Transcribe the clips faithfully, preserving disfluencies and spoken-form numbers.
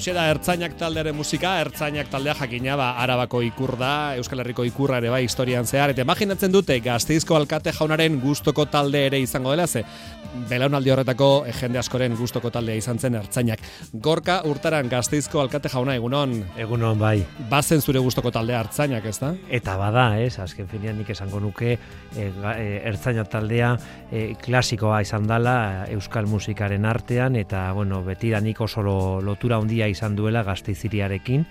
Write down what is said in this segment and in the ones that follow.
Hauxe da Ertzainak taldearen musika, Ertzainak taldea jakina, ba, Arabako ikur da, Euskal Herriko ikurra ere bai historian zehar, eta imaginatzen dute Gasteizko alkate jaunaren gustoko talde ere izango dela, ze belaunaldi horretako jende askoren gustoko taldea izan zen Ertzainak. Gorka Urtaran, Gasteizko alkate jauna, egunon? Egunon, bai. Bazen zure gustoko taldea Ertzainak, ez da? Eta bada, ez, azken finean nik esango nuke e, e, Ertzainak taldea e, klasikoa izan dela Euskal musikaren artean, eta, bueno, betidanik oso lotura handia izan duela Gasteiziriarekin,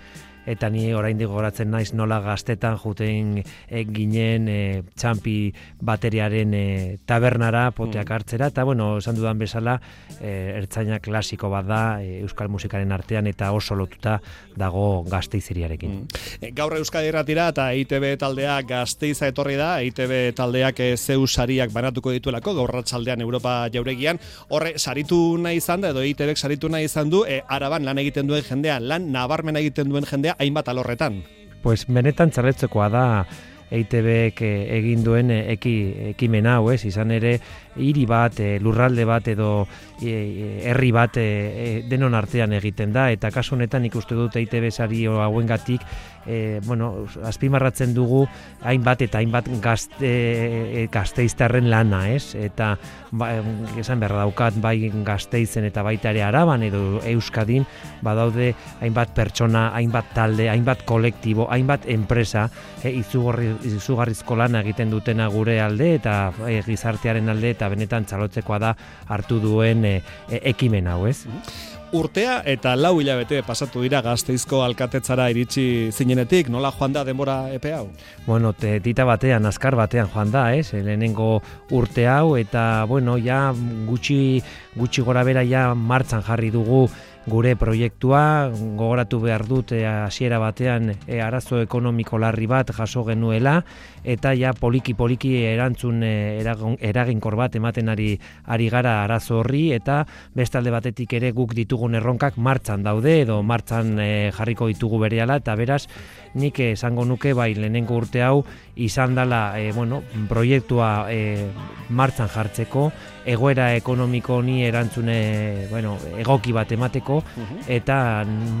eta ni oraindik gogoratzen naiz nola gaztetan juten e, ginen e, txampi bateriaren e, tabernara poteak hartzera, eta bueno, esan dudan bezala e, Ertzaina klasiko bat da e, Euskal musikaren artean eta oso lotuta dago Gasteiziriarekin. Mm. Gaur Euskadi Irratira eta E I T B taldea Gasteiza etorri da, E I T B taldeak e, zeu sariak banatuko dituelako, gaur arratsaldean Europa jauregian, horre saritu nahi izan da, edo E I T Bek saritu nahi izan du, e, Araban lan egiten duen jendea, lan nabarmen egiten duen jendea, hainbat alorretan. Pues benetan txaletzekoa da E I T Bek egin duen eki, ekimen hau, ez? Izan ere hiri bat, lurralde bat edo herri bat denon artean egiten da, eta kasu honetan ikuste dut E I T B sari hauengatik e, bueno, azpimarratzen dugu hainbat eta hainbat gazte, gazteiztarren lana, ez? Eta ba, esan behar daukat bai Gasteizen eta baita ere Araban edo Euskadin badaude hainbat pertsona, hainbat talde, hainbat kolektibo, hainbat enpresa e, izugarri, izugarrizko lana egiten dutena gure alde eta e, gizartearen alde, eta benetan txalotzekoa da hartu duen e, e, ekimen hau, ez? Urtea eta lau hilabete pasatu dira Gasteizko alkatetzara iritsi zinenetik, nola joan da denbora epe hau? Bueno, te, tita batean, azkar batean joan da, ez? Lehenengo urte hau, eta bueno, ja gutxi, gutxi gora bera ja martxan jarri dugu gure proiektua, gogoratu behar dut hasiera batean e, arazo ekonomiko larri bat jaso genuela, eta ja poliki-poliki erantzun e, eraginkor bat ematen ari, ari gara arazo horri, eta bestalde batetik ere guk ditugun erronkak martxan daude, edo martxan e, jarriko ditugu berehala, eta beraz, nik esango nuke bai lehenengo urte hau izan dela e, bueno, proiektua e, martxan jartzeko, egoera ekonomiko honi erantzune bueno, egoki bat emateko, eta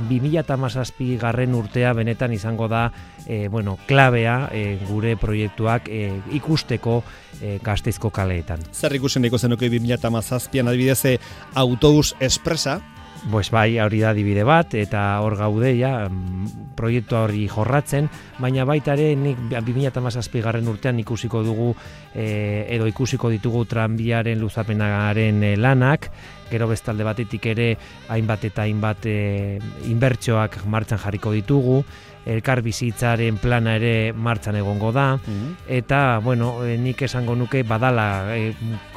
bi mila hamazazpi garren urtea benetan izango da e, bueno, klabea e, gure proiektuak e, ikusteko e, Gasteizko kaleetan. Zer ikusen ikusen nuke bi mila hamazazpian adibidez e, autobus espresa? Pues bai, hori da adibide bat, eta hor gaude ja, proiektua hori jorratzen, baina baita ere nik bi mila hamazazpi garren urtean ikusiko dugu e, edo ikusiko ditugu tranbiaren luzapenaren e, lanak, gero bestalde batetik ere hainbat eta hainbat e, inbertsioak martxan jarriko ditugu, elkar bizitzaren plana ere martxan egongo da, mm-hmm. eta bueno, e, nik esango nuke badala e,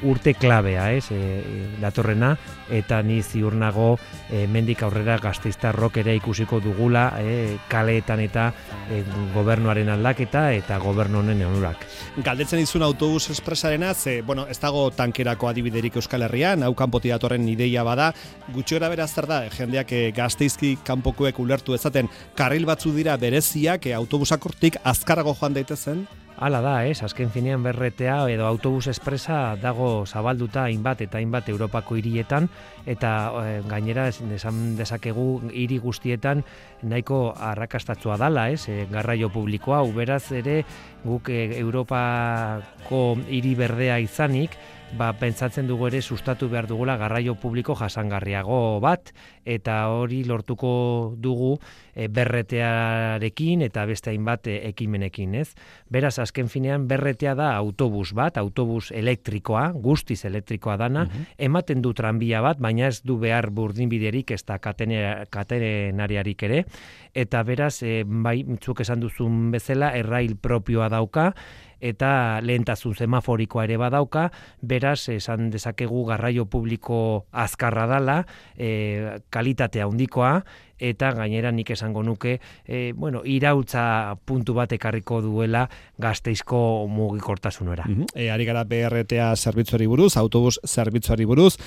urte klabea, ez, e, datorrena, eta ni ziur nago e, mendik aurrera gasteiztarrok ere ikusiko dugula e, kaleetan eta e, gobernuaren aldaketa eta gobernu honen onurak. Galdetzen dizun autobus espresarena, ze, bueno, ez dago tankerako adibiderik Euskal Herrian, hau kanpotik datorren ideia bada, gutxi gara beraz zer da, jendeak e, Gasteizki kanpokoek ulertu ezaten, karril batzu dira bereziak, e, autobusak hortik azkarrago joan daitezen? Hala da, ez, azken finean berretea edo autobus espresa dago zabalduta hainbat eta hainbat Europako hirietan, eta e, gainera esan dezakegu hiri guztietan nahiko arrakastatsua dala, ez, e, garraio publikoa, beraz ere guk e, Europako hiri berdea izanik, ba, pentsatzen dugu ere sustatu behar dugula garraio publiko jasangarriago bat, eta hori lortuko dugu e, berretearekin eta beste hainbat e, ekimenekin, ez? Beraz, azken finean berretea da autobus bat, autobus elektrikoa, guztiz elektrikoa dana, uh-huh. ematen du tranbia bat, baina ez du behar burdinbiderik ez da katenariarik ere, eta beraz, e, bai, zuk esan duzun bezala, errail propioa dauka, eta lehentasun semaforikoa ere badauka, beraz esan dezakegu garraio publiko azkarra dala, e, kalitatea handikoa, eta gainera nik esango nuke, e, bueno, irautza puntu bat ekarriko duela Gasteizko mugikortasunera. Mm-hmm. E, ari gara B R T A zerbitzuari buruz, autobus zerbitzuari buruz,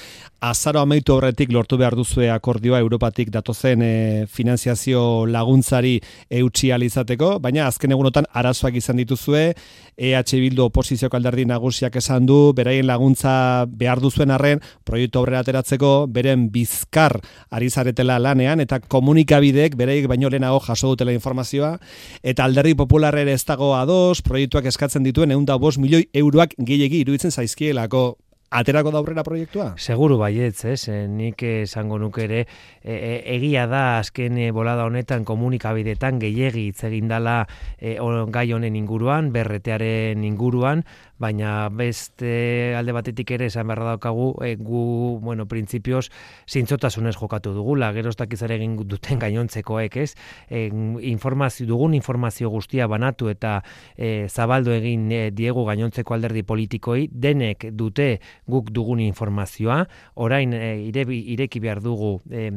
azaro amaitu horretik lortu behar duzue akordioa Europatik datozen e, finanziazio laguntzari eutsi alizateko, baina azken egunotan arazoak izan dituzue, E H Bildu oposizioko alderdi nagusiak esan du, beraien laguntza behar duzuen arren, proiektu aurrera ateratzeko, beren bizkar ari zaretela lanean, eta komunikabideek beraiek baino lehenago jaso dutela informazioa, eta alderdi popularrere ez dago ados, proiektuak eskatzen dituen ehun eta bost milioi euroak gehiegi iruditzen zaizkielako. Aterako da aurrera proiektua? Seguru baietz, ez? Nik esango nuke ere, e, e, egia da azken e, bolada honetan komunikabidetan gehiegi hitz egin dala e, gai honen inguruan, berretearen inguruan, baina beste alde batetik ere esan beharra daukagu, e, gu, bueno, printzipioz, zintzotasunez jokatu dugula, gero ez dakiz ere egin duten gainontzekoek, ez? E, informazio, dugun informazio guztia banatu eta e, zabaldu egin e, diegu gainontzeko alderdi politikoi, denek dute guk dugun informazioa, orain e, ire, ireki behar dugu e,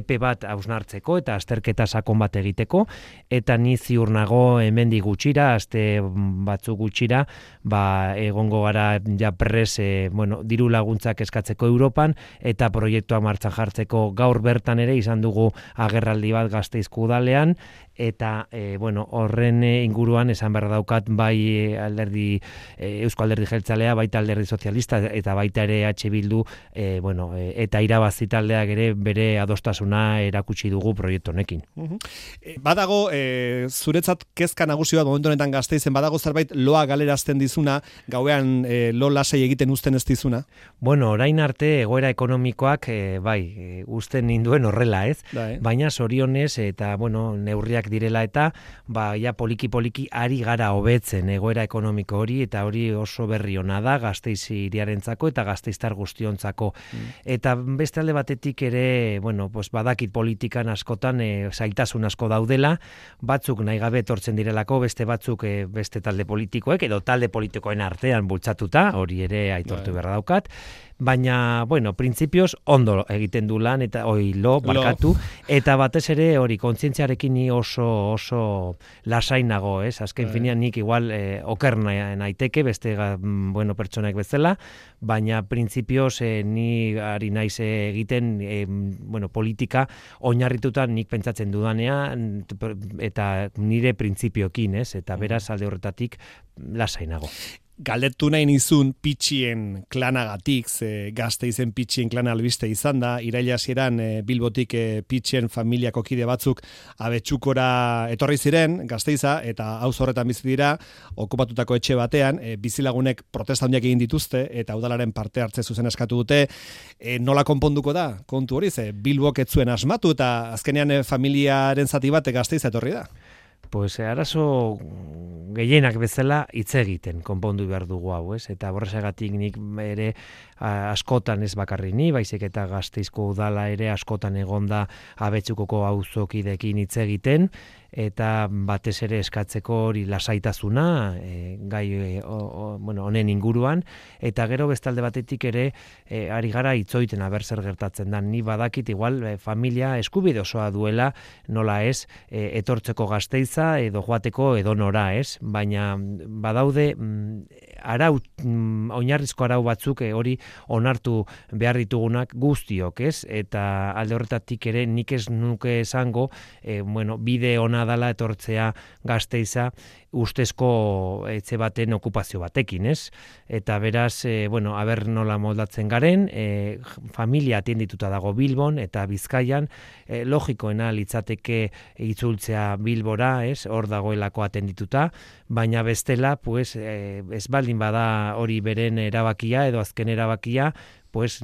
epe bat hausnartzeko eta azterketa sakon bat egiteko, eta ni ziur nago hemendik gutxira, aste batzuk gutxira, ba, egongo gara ja pres, e, bueno, diru laguntzak eskatzeko Europan, eta proiektua martxan jartzeko gaur bertan ere izan dugu agerraldi bat Gasteizko udalean, eta e, bueno, horren inguruan esan behar daukat bai alderdi e, Eusko Alderdi Jeltzalea, baita alderdi sozialista eta baita ere H Bildu, e, bueno, e, eta irabazi taldeak ere bere adostasuna erakutsi dugu proiektu honekin. Uh-huh. E, badago e, zuretzat kezka nagusi bat momentu honetan Gasteizen, badago zerbait loa galerazten dizuna, gauean e, lo lasai egiten uzten ez dizuna? Bueno, orain arte egoera ekonomikoak e, bai, e, uzten ninduen horrela, ez? Da, eh? Baina zorionez eta bueno, neurriak direla eta ba ja poliki poliki ari gara hobetzen egoera ekonomiko hori, eta hori oso berri ona da Gasteiz hiriarentzako eta gasteiztar guztiontzako. Mm. Eta beste alde batetik ere, bueno, pues badakit politikan askotan e, zailtasun asko daudela, batzuk nahi gabe etortzen direlako, beste batzuk e, beste talde politikoek edo talde politikoen artean bultzatuta, hori ere aitortu beharra daukat. Baina, bueno, printzipioz ondo egiten du lan, eta oi lo, barkatu, eta batez ere hori kontzientziarekin ni oso oso lasainago, ez? Azken e. finean nik igual eh, oker naiteke, beste bueno, pertsonak bezala, baina printzipioz eh, ni ari naiz egiten eh, bueno, politika oinarrituta nik pentsatzen dudanean, eta nire printzipioekin, ez? Eta beraz alde horretatik lasainago. Galdetu nahi nizun pitxien klanagatik, ze Gasteizen pitxien klana albiste izan da, iraila hasieran e, Bilbotik e, pitxien familiako kide batzuk Abetxukora etorri ziren, Gasteiza, eta hauz horretan bizi dira, okupatutako etxe batean, e, bizilagunek protesta handiak egin dituzte, eta udalaren parte hartze zuzen eskatu dute, e, nola konponduko da, kontu hori, ze Bilbok ez zuen asmatu, eta azkenean e, familiaren zati bat Gasteiza etorri da. Pues arazo gehienak bezala hitz egiten konpondu behar dugu hau, ez? Eta horrexegatik nik ere askotan ez bakarri ni, baizik eta Gasteizko udala ere askotan egonda Abetxukoko auzokideekin hitz egiten, eta batez ere eskatzeko hori lasaitasuna e, gai e, o, o, bueno, honen inguruan, eta gero bestalde batetik ere e, ari gara itzoiten aber zer gertatzen da. Ni badakit igual e, familia eskubide osoa duela, nola ez, e, etortzeko Gasteiza edo joateko edo nora, ez? Baina badaude mm, arau, mm, oinarrizko arau batzuk e, hori onartu behar ditugunak guztiok, ez? Eta alde horretatik ere nik ez nuke esango, e, bueno, bide ona dala etortzea Gasteiza ustezko etxe baten okupazio batekin, ez? Eta beraz, e, bueno, aber nola moldatzen garen, e, familia atendituta dago Bilbon eta Bizkaian, e, logikoena litzateke itzultzea Bilbora, ez? Hor dagoelako atendituta, baina bestela, pues, e, ez baldin bada hori beren erabakia edo azken erabakia, pues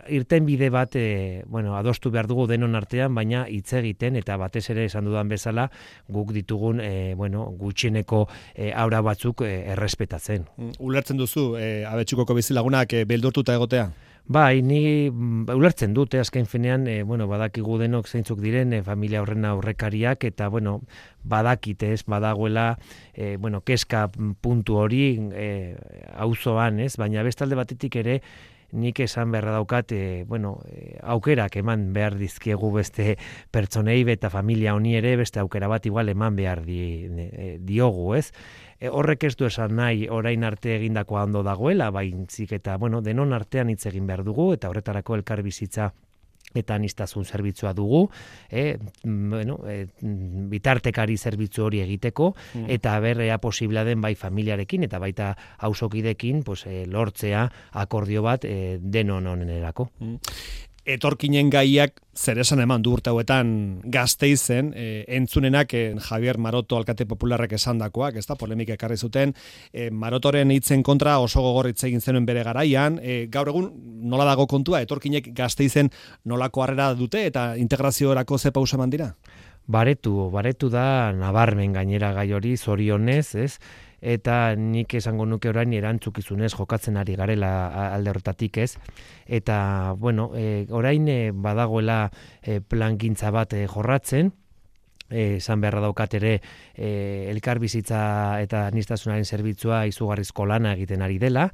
irten bide bat e, bueno, adostu behar dugu denon artean, baina hitz egiten eta batez ere esan dudan bezala guk ditugun e, bueno, gutxieneko e, aura batzuk e, errespetatzen. Ulertzen duzu e, Abetxukoko bizilagunak e, beldurtuta egotea? Bai, ni ulertzen dute azken finean, e, bueno, badakigu denok zeintzuk diren e, familia horren aurrekariak, eta bueno, badakite ez, badagoela e, bueno, keska puntu hori e, auzoan, ez, baina bestalde batetik ere nik esan beharra daukat, e, bueno, e, aukerak eman behar dizkiegu beste pertsonei eta familia honi ere beste aukera bat igual eman behar di, e, diogu, ez? E, horrek ez du esan nahi orain arte egindakoa ondo dagoela, baintzik eta, bueno, denon artean hitz egin behar dugu, eta horretarako elkar bizitza eta aniztasun zerbitzua dugu, e, bueno, e, bitartekari zerbitzu hori egiteko, mm. eta berrea posiblea den bai familiarekin, eta baita auzokidekin pues, e, lortzea akordio bat e, denon onenerako. Mm. Etorkinen gaiak zer esan eman du urte hauetan Gasteizen, e, entzunenak e, Javier Maroto alkate popularrek esandakoak, ez da, polemika ekarri zuten, e, Marotoren hitzen kontra oso gogor hitz egin zenuen bere garaian, e, gaur egun nola dago kontua, etorkinek Gasteizen nolako harrera dute eta integraziorako ze pausa eman dira? Baretu, baretu da nabarmen gainera gai hori, zorionez, ez? Eta nik esango nuke orain erantzukizunez jokatzen ari garela alde horretatik, ez? Eta, bueno, e, orain e, badagoela e, plangintza bat e, jorratzen, esan beharra daukat ere e, elkarbizitza eta aniztasunaren zerbitzua izugarrizko lana egiten ari dela,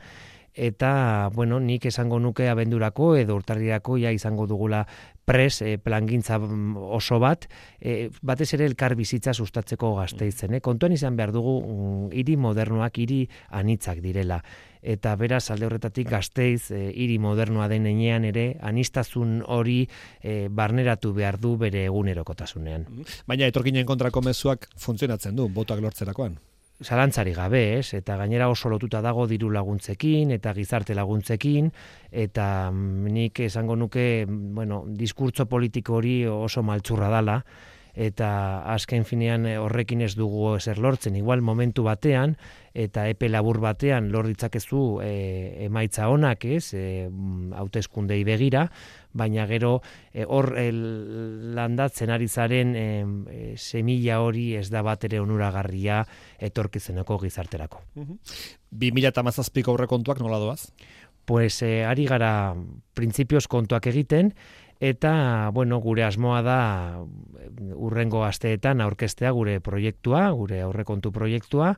eta, bueno, nik esango nuke abendurako edo urtarrirako ja izango dugula pres e, plangintza oso bat, e, batez ere elkar bizitza sustatzeko Gasteizen. Eh? Kontuan izan behar dugu mm, hiri modernoak, hiri anitzak direla. Eta beraz alde horretatik Gasteiz e, hiri modernoa den enean ere aniztasun hori e, barneratu behar du bere egunerokotasunean. Baina etorkinen kontrako mezuak funtzionatzen du, botoak lortzerakoan. Zalantzari gabe, ez? Eta gainera oso lotuta dago diru laguntzekin eta gizarte laguntzekin, eta nik esango nuke, bueno, diskurtso politiko hori oso maltzurra dala, eta azken finean horrekin ez dugu ezer lortzen, igual momentu batean, eta epe labur batean lor ditzakezu e, emaitza onak, ez, e, hauteskundei begira, baina gero hor e, landatzen ari zaren e, e, semilla hori ez da bat ere onuragarria etorkizeneko gizarterako. bi mila hamazazpiko aurrekontuak nola doaz? Pues e, ari gara printzipioz kontuak egiten, eta, bueno, gure asmoa da urrengo asteetan aurkeztea gure proiektua, gure aurrekontu proiektua,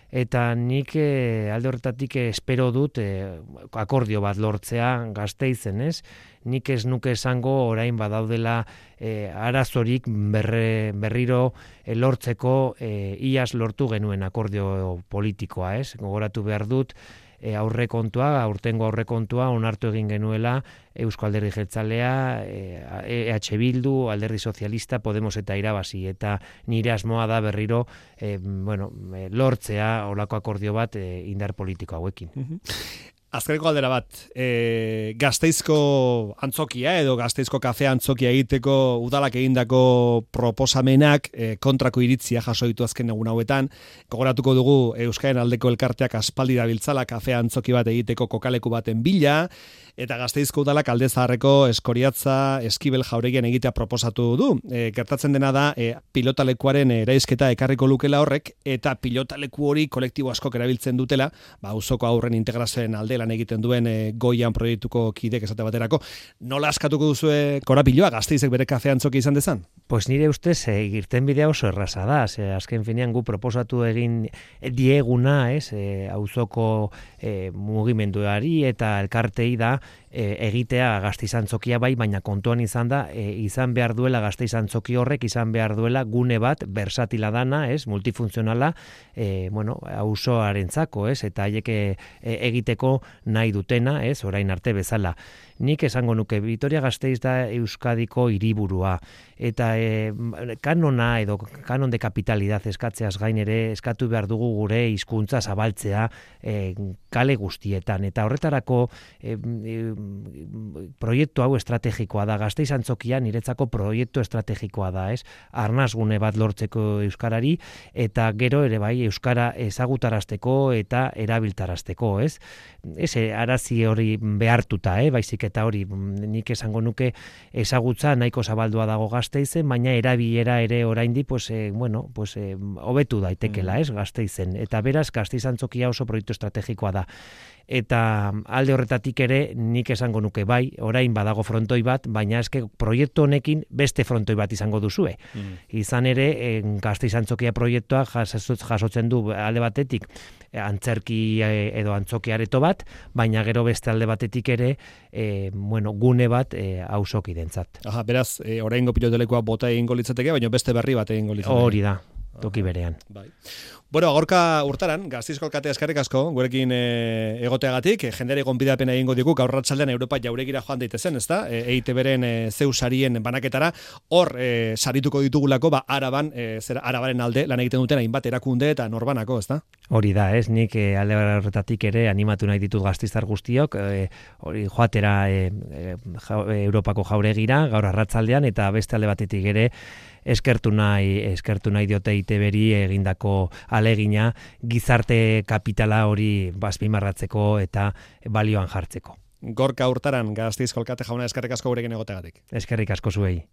eta nik e, alde horretatik espero dut e, akordio bat lortzea Gasteizen, ez? Nik ez nuke esango orain badaudela e, arazorik berre, berriro e, lortzeko e, iaz lortu genuen akordio politikoa, ez? Gogoratu behar dut, E, aurrekontua, aurtengo aurrekontua onartu egin genuela Eusko Alderdi Jeltzalea, E H Bildu, Alderdi Sozialista, Podemos eta Irabazi, eta nire asmoa da berriro e, bueno, e, lortzea olako akordio bat e, indar politiko hauekin. Azkeneko galdera bat, e, Gasteizko antzokia edo Gasteizko kafea antzokia egiteko udalak egindako proposamenak e, kontrako iritzia jaso ditu azken egun hauetan. Gogoratuko dugu Euskaren aldeko elkarteak aspaldi dabiltzala kafea antzoki bat egiteko kokaleku baten bila, eta Gasteizko udalak Alde Zaharreko Eskoriatza Eskibel jauregian egitea proposatu du. E, gertatzen dena da e, pilotalekuaren eraisketa ekarriko lukela horrek, eta pilotaleku hori kolektibo askok erabiltzen dutela, ba auzoko aurren integrazioen alde lan egiten duen e, goian proiektuko kidek esate baterako. Nola askatuko duzue korapiloa Gasteizek bere kafea antzoki izan dezan? Pues nire ustez e, irten bidea oso erraza da, ze azken finean gu proposatu egin dieguna, ez, e, auzoko e, mugimenduari eta elkartei da e, egitea Gasteiz antzokia bai, baina kontuan izan da, e, izan behar duela Gasteiz antzoki horrek, izan behar duela gune bat versatila dana, ez, multifuntzionala, e, bueno, auzoarentzako, ez, eta haiek e, egiteko nahi dutena, ez, orain arte bezala. Nik esango nuke Vitoria Gasteiz da Euskadiko hiriburua, eta e, kanona edo kanon de kapitalidad eskatzeaz gain ere eskatu behar dugu gure hizkuntza zabaltzea e, kale guztietan, eta horretarako e, e, proiektu hau estrategikoa da, Gasteiz antzokia niretzako proiektu estrategikoa da, ez? Arnasgune bat lortzeko euskarari, eta gero ere bai euskara ezagutarazteko eta erabiltarazteko, ez? Ez arazi hori behartuta, eh? Baizik eta hori nik esango nuke ezagutza nahiko zabaldua dago Gasteizen, baina erabilera ere oraindi pues eh, bueno, pues eh, hobetu daitekela, ez, Gasteizen. Eta beraz Gasteiz antzokia oso proiektu estrategikoa da. Eta alde horretatik ere nik esango nuke bai, orain badago frontoi bat, baina eske proiektu honekin beste frontoi bat izango duzue. Mm. Izan ere, en, Gasteiz antzokia proiektua jasotzen du alde batetik antzerki edo antzoki areto bat, baina gero beste alde batetik ere e, bueno, gune bat e, auzokidentzat. Aha, beraz, e, oraingo pilotelekoa bota egingo litzateke, baina beste berri bat egingo litzateke. Hori da. Toki berean. Bai. Bueno, agorka urtaran, Gasteizko alkatea eskerrik asko, gurekin e, egoteagatik, e, jendere gonbidapena egingo digu, gaur ratzaldean Europa jauregira joan daitezen, ezta? E, E I T B-ren e, zeu sarien banaketara, hor e, sarituko ditugulako, ba, araban, e, zera, arabaren alde, lan egiten duten hainbat erakunde eta norbanako, ezta? Hori da, ez, nik e, alde horretatik ere animatu nahi ditut gasteiztar guztiok, e, hori joatera e, e, ja, Europako jauregira, gaur arratzaldean, eta beste alde batetik ere, eskertu nahi, eskertu nahi diote E I T B-ri egindako alegina gizarte kapitala hori bazpimarratzeko eta balioan jartzeko. Gorka urtaran, Gasteizko alkate jauna eskerrik asko gurekin egoteagatik. Eskerrik asko zuei.